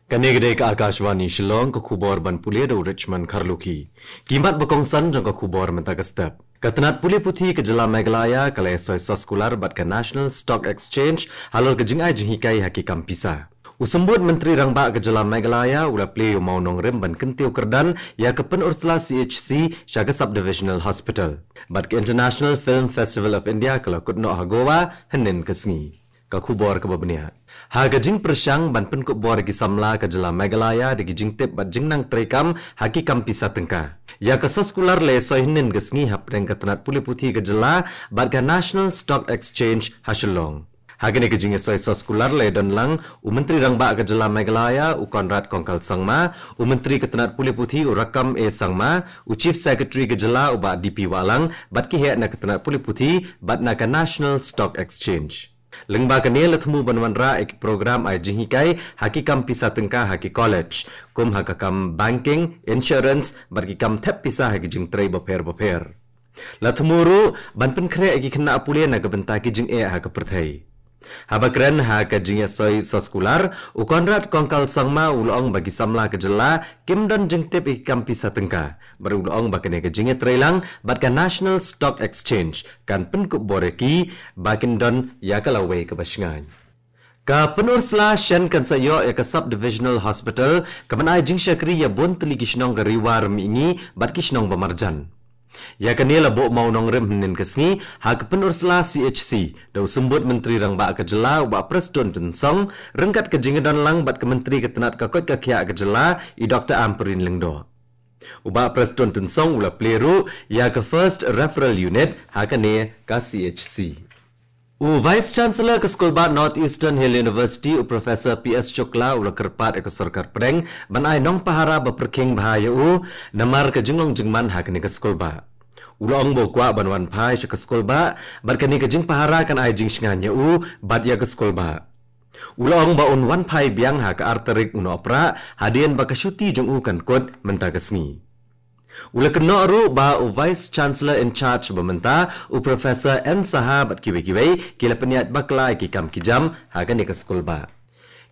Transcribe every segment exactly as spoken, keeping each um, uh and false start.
Kane ka dei ka Akashvani Shillong, ka khubor ban pule da u Richmond Kharlukhi. Ki mat ba kongsan jong ka khubor mynta ka step. Ka tnat pule puthi ka jylla Meghalaya ka la ïasoi soskular bad ka National Stock Exchange halor ka jingai jinghikai ha ki kam pisa. U Symbud Myntri Rangbah ka jylla Meghalaya u la plie ïa u mawnongrim ban kyntiew kyrdan ïa ka Pynursla C H C sha ka Sub-Divisional Hospital. Bad ka International Film Festival of India ka la kut noh ha Goa hynnin ka sngi. Ka khubor kaba bniah. Ha ka jingpyrshang ban pynkup bor ïa ki samla ka jylla Meghalaya da ki jingtip bad jingnang treikam ha ki kam pisa tyngka, ïa ka soskular la ïasoi hynnin ka sngi hapdeng ka tnat pule puthi ka jylla bad ka National Stock Exchange ha Shillong. Ha kane ka jingïasoi soskular la ïadon lang u Myntri Rangbah ka jylla Meghalaya u Conrad Kongkal Sangma, u Myntri ka tnat pule puthi u Rakkam A Sangma, u Chief Secretary ka jylla u Bah D P Wahlang bad ki heh na ka tnat pule puthi bad na ka National Stock Exchange. Lyngba kane la thmu ban wanrah ïa ki program ai jinghikai ha ki kam pisa tyngka ha ki college, kum ha ka kam banking, insurance bad ki kam thep pisa ha ki jingtrei bapher bapher. La thmu ruh ban pynkhreh ïa ki khynnah pule na ka bynta ki jingeh ha ka pyrthei. Haba kren ha ka jingïasoi soskular, u Conrad Kongkal Sangma u la ong ba ki samla ka jylla kim don jingtip ïa ki kam pisa tyngka. Bad u la ong ba kane ka jingïatreilang bad ka National Stock Exchange kan pynkup bor ïa ki ba kin don ïa ka lawei kaba shngaiñ. Ka Pynursla shen kan sa ïoh ïa ka Sub-Divisional Hospital kaban ai jingshakri ïa bun tylli ki shnong ka Ri War Mihngi bad ki shnong ba marjan. Ïa kane la buh mawnongrim hynnin ka sngi ha ka Pynursla C H C da u Symbud Myntri Rangbah ka jylla u Bah Prestone Tynsong ryngkat ka jingïadon lang bad ka Myntri ka tnat ka koit ka khiah ka jylla i Doctor Ampareen Lyngdoh. U Bah Prestone Tynsong u la plie ruh ïa ka First Referral Unit ha kane ka C H C. U Vice Chancellor ka Skulbah North Eastern Hill University u Professor P S Shukla u la kyrpad ïa ka sorkar pdeng ban ai nongpahara ba pyrkhing bha ïa u namar ka jinglong jingman ha kane ka skulbah. U la ong ba u kwah ban wan phai sha ka skulbah bad kane ka jingpahara kan ai jingshngaiñ ïa u bad ïa ka skulbah. U la ong ba un wan phai biang ha ka ar tarik u Nohprah hadien ba ka shuti jong u kan kut mynta ka sngi. U la kynnoh ruh ba u Vice Chancellor in charge ba mynta u Professor N Saha bad kiwei kiwei ki la pynïaid bakla ïa ki kam ki jam ha kane ka skulbah.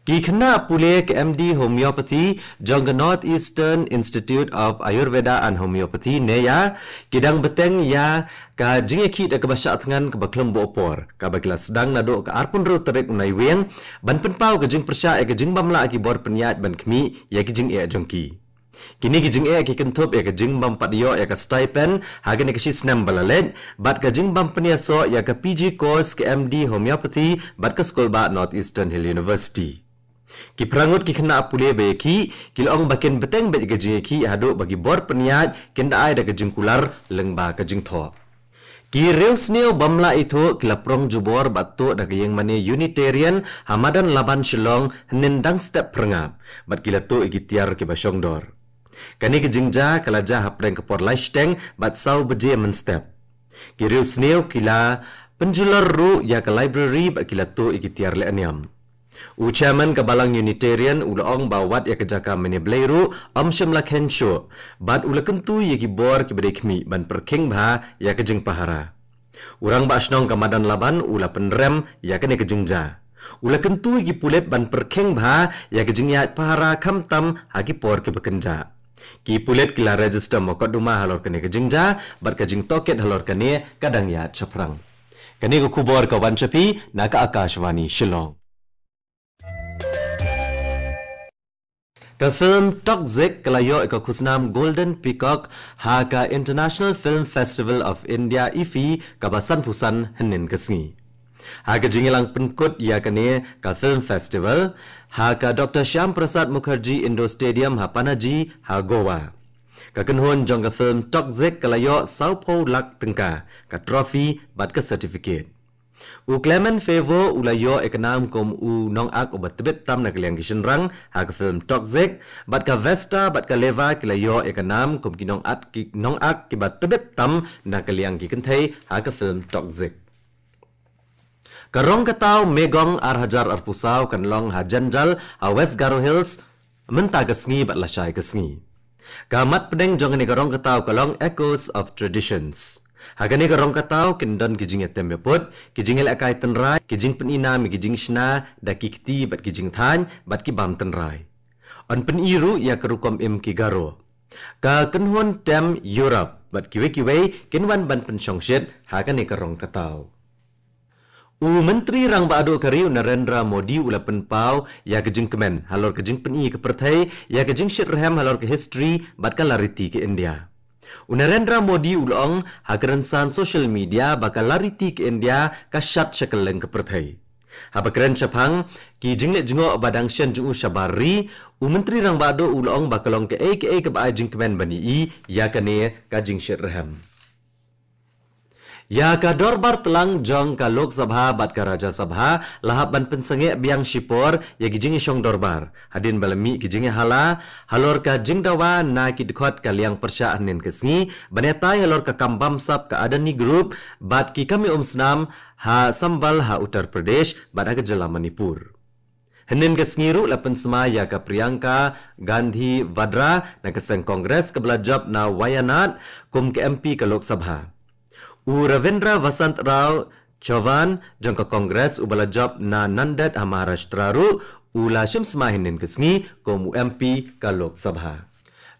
Ki khynnah pule ka M D Homeopathy jong ka North Eastern Institute of Ayurveda and Homeopathy, NEYAH, ki dang bteng ïa ka jingïakhih da kaba shah thngan kaba khlem buh por kaba ki la sdang naduh ka arphew hynriew tarik u Naiwieng ban pynpaw ka jingpyrshah ïa ka jingbym lah ki bor pynïaid ban khmih ïa ki jingeh jong ki. Kine ki jingeh ki kynthup ïa ka jingbym pat ïoh ïa ka stipend ha kane ka shi snem ba la leit bad ka jingbym pynïasoh ïa ka P G course ka M D Homeopathy bad ka skulbah North Eastern Hill University. Ki phra ngut ki khynnah pule ba ïakhih ki la ong ba kin bteng beit ïa ka jingïakhih haduh ba ki bor pynïaid kin da ai da ka jingkular lyngba ka jingthoh. Ki riewsniew bym lah ithuh ki la prong jubor bad tuh da ka ïingmane Unitarian ha Madan Laban Shillong hynnin dang step phyrngab bad ki la tuh ïa ki tiar kiba shongdor. Kane ka jingjia ka la jia hapdeng ka por lai shiteng bad saw baje mynstep. Ki riewsniew ki la pynjulor ruh ïa ka library bad ki la tuh ïa ki tiar lehniam. U chairman ka Balang Unitarian u la ong ba wat ïa ka jaka mane blei ruh ym shym la khein shuh bad u la kyntu ïa ki bor kiba dei khmih ban pyrkhing bha ïa ka jingpahara. U rangbah shnong ka Madan Laban u la pynrem ïa kane ka jingjia. U la kyntu ïa ki pulit ban pyrkhing bha ïa ka jingïaid pahara khamtam ha ki por kiba kynjah. Ki pulit ki la register mukotduma halor kane ka jingjia bad ka jingtohkit halor kane ka dang ïaid shaphrang. Kane ka khubor ka wan sha phi na ka Akashvani Shillong. Ka film Toxic ka la ïoh ïa ka khusnam Golden Peacock ha ka International Film Festival of India, IFFI, kaba sanphew san hynnin ka sngi. Ha ka jingïalang pynkut ïa kane ka film festival ha ka Doctor Shyam Prasad Mukherjee Indoor Stadium ha Panaji ha Goa, ka kynhun jong ka film Toxic ka la ïoh sawphew lak tyngka ka trophy bad ka certificate. U Clement Favour u la ïoh ïa ka nam kum u nongact uba tbit tam na ka liang ki shynrang ha ka film Toxic, bad ka Vesta bad ka Leva ki la ïoh ïa ka nam kum ki nongact ki nongact kiba tbit tam na ka liang ki kynthei ha ka film Toxic. Ka rong ka taw Megong ar hajar arphew saw kan long ha Janjal ha West Garo Hills mynta ka sngi bad lashai ka sngi. Ka mat pdeng jong kane ka rong ka taw ka long Echoes of Traditions. Ha kane ka rong ka taw kin don ki jingïatem ïaput, ki jingïalehkai tynrai, ki jingpyni nam ïa ki jingshna da ki kti bad ki jingthaiñ bad ki bam tynrai. Yn pyni ruh ïa ka rukom im ki Garo. Ka kynhun tem Europe bad kiwei kiwei kin wan ban pynshongshit ha kane ka rong ka thaw. U Myntri Rangbah Duh ka ri u Narendra Modi u la pynpaw ïa ka jingkmen halor ka jingpyni ka pyrthei ïa ka jingshitrhem halor ka history bad ka lariti ka India. U Narendra Modi u la ong ha ka rynsan social media ba ka lariti ka India ka shat sha kylleng ka pyrthei. Haba kren shaphang ki jingleh jngoh ba dang shen jong u shabar ri, u Myntri Rangbah Duh u la ong ba ka long kaei kaei kaba ai jingkmen ban ïohi ïa kane ka jingshitrhem. Ïa ka dorbar tlang jong ka Lok Sabha bad ka Rajya Sabha la hap ban pynsangeh biang shipor ïa ki jingïashong dorbar hadien ba la mih ki jingïahala halor ka jingdawa na ki dkhot ka liang pyrshah hynnin ka sngi ban ïatai halor ka kam bamsap ka Adani Group bad ki kam ïa umsnam ha Sambhal ha Uttar Pradesh bad ha ka jylla Manipur. Hynnin ka sngi ruh la pynsmai ïa ka Priyanka Gandhi Vadra na ka seng Congress kaba la jop na Wayanad kum ka M P ka Lok Sabha. U Ravindra Vasant Rao Chauhan jong ka Congress uba la jop na Nanded ha Maharashtra ruh u la shim smai hynnin ka sngi kum u M P ka Lok Sabha.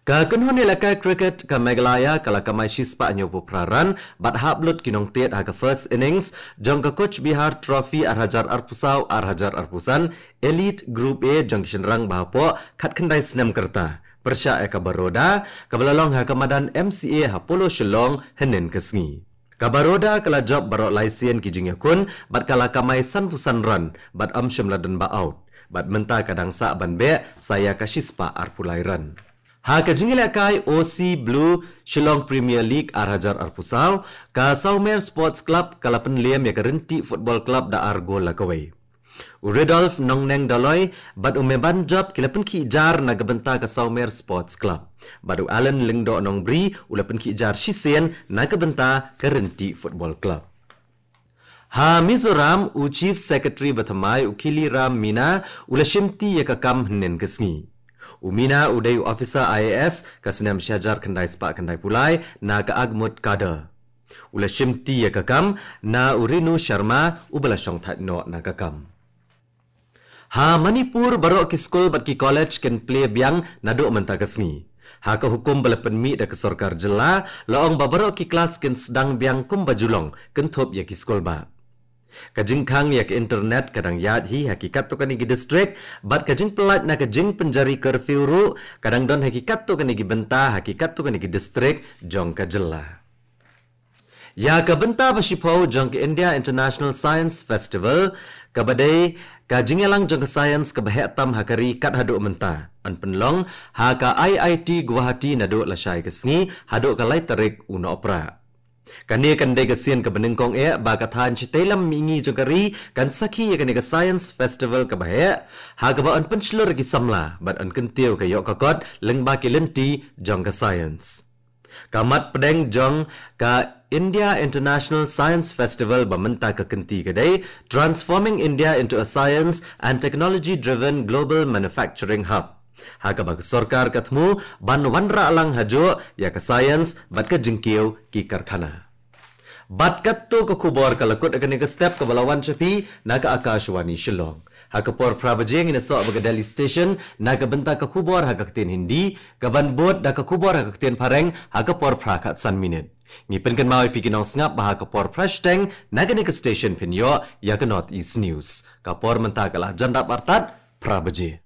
Ka kynhun ïalehkai cricket ka Meghalaya ka la kamai shispah hynñiewphew phra run bad hap lut ki nongtied ha ka first innings jong ka Cooch Behar Trophy ar hajar arphew saw ar hajar arphew san Elite Group A jong ki shynrang ba hapoh khatkhyndai snem ka rta pyrshah ïa ka Baroda kaba la long ha ka madan M C A ha Polo Shillong hynnin ka sngi. Ka Baroda ka la jop baroh lai sien ki jingïakhun bad ka la kamai sanphew san run bad ym shym la don ba out bad mynta ka dang sah ban beh sa ïa ka shispah arphew lai run. Ha ka jingïalehkai O C Blue Shillong Premier League ar hajar arphew saw, ka Sawmer Sports Club ka la pynliem ïa ka Ryntih Football Club da ar gol la kawei. U Rudolf Nongneng Doloi bad u Meban Jop ki la pynkhih jar na ka bynta ka Sawmer Sports Club bad u Alan Lyngdoh Nongbri u la pynkhih jar shisien na ka bynta ka Ryntih Football Club. Ha Mizoram, u Chief Secretary ba thymmai u Khiliram Meena u la shimti ïa ka kam hynnin ka sngi. U Meena u dei u officer I A S ka snem shi hajar khyndai spah khyndai phew lai na ka Agmut Cadre. U la shimti ïa ka kam na u Renu Sharma uba la shongthait noh na ka kam. Ha Manipur baroh ki skul bad ki college kin plie biang naduh mynta ka sngi. Ha ka hukum ba la pynmih da ka sorkar jylla la ong ba baroh ki klas kin sdang biang kumba ju long kynthup ïa ki skul bah. Ka jingkhang ïa ka internet ka dang ïaid hi ha ki katto katne ki district bad ka jingpyllait na ka jingpynjari curfew ruh ka dang don ha ki katto katne ki bynta ha ki katto katne ki district jong ka jylla. Ïa ka bynta ba shiphew jong ka India International Science Festival kaba dei ka jingïalang jong ka science kaba heh tam ha ka ri kat haduh mynta yn pynlong ha ka I I T Guwahati naduh lashai ka sngi haduh ka lai tarik u Nohprah. Kane kan dei ka sien kaba nyngkong eh ba ka thaiñ shatei lam mihngi jong ka ri kan sakhi ïa kane ka science festival kaba heh ha kaba yn pynshlur ïa ki samla bad yn kyntiew ka ïoh ka kot lyngba ki lynti jong ka science. Ka mat pdeng jong ka India International Science Festival ba mynta ka kynti ka dei Transforming India into a Science and Technology Driven Global Manufacturing Hub. Ha kaba ka sorkar ka thmu ban wanrah lang hajuh ïa ka science bad ka jingkiew ki karkhana. Bad katto ka khubor ka la kut ha kane ka step kaba la wan sha phi na ka Akashvani Shillong. Ha ka por phra baje ngin ïasoh bad ka Delhi Station na ka bynta ka khubor ha ka ktien Hindi, kaban bud da ka khubor ha ka ktien Phareng ha ka por phra khatsan minit. Ngi pynkynmaw ïa phi ki nongsngap ba ha ka por phra shiteng na kane ka station phin ïoh ïa ka North East News. Ka por mynta ka la jan dap artat phra baje.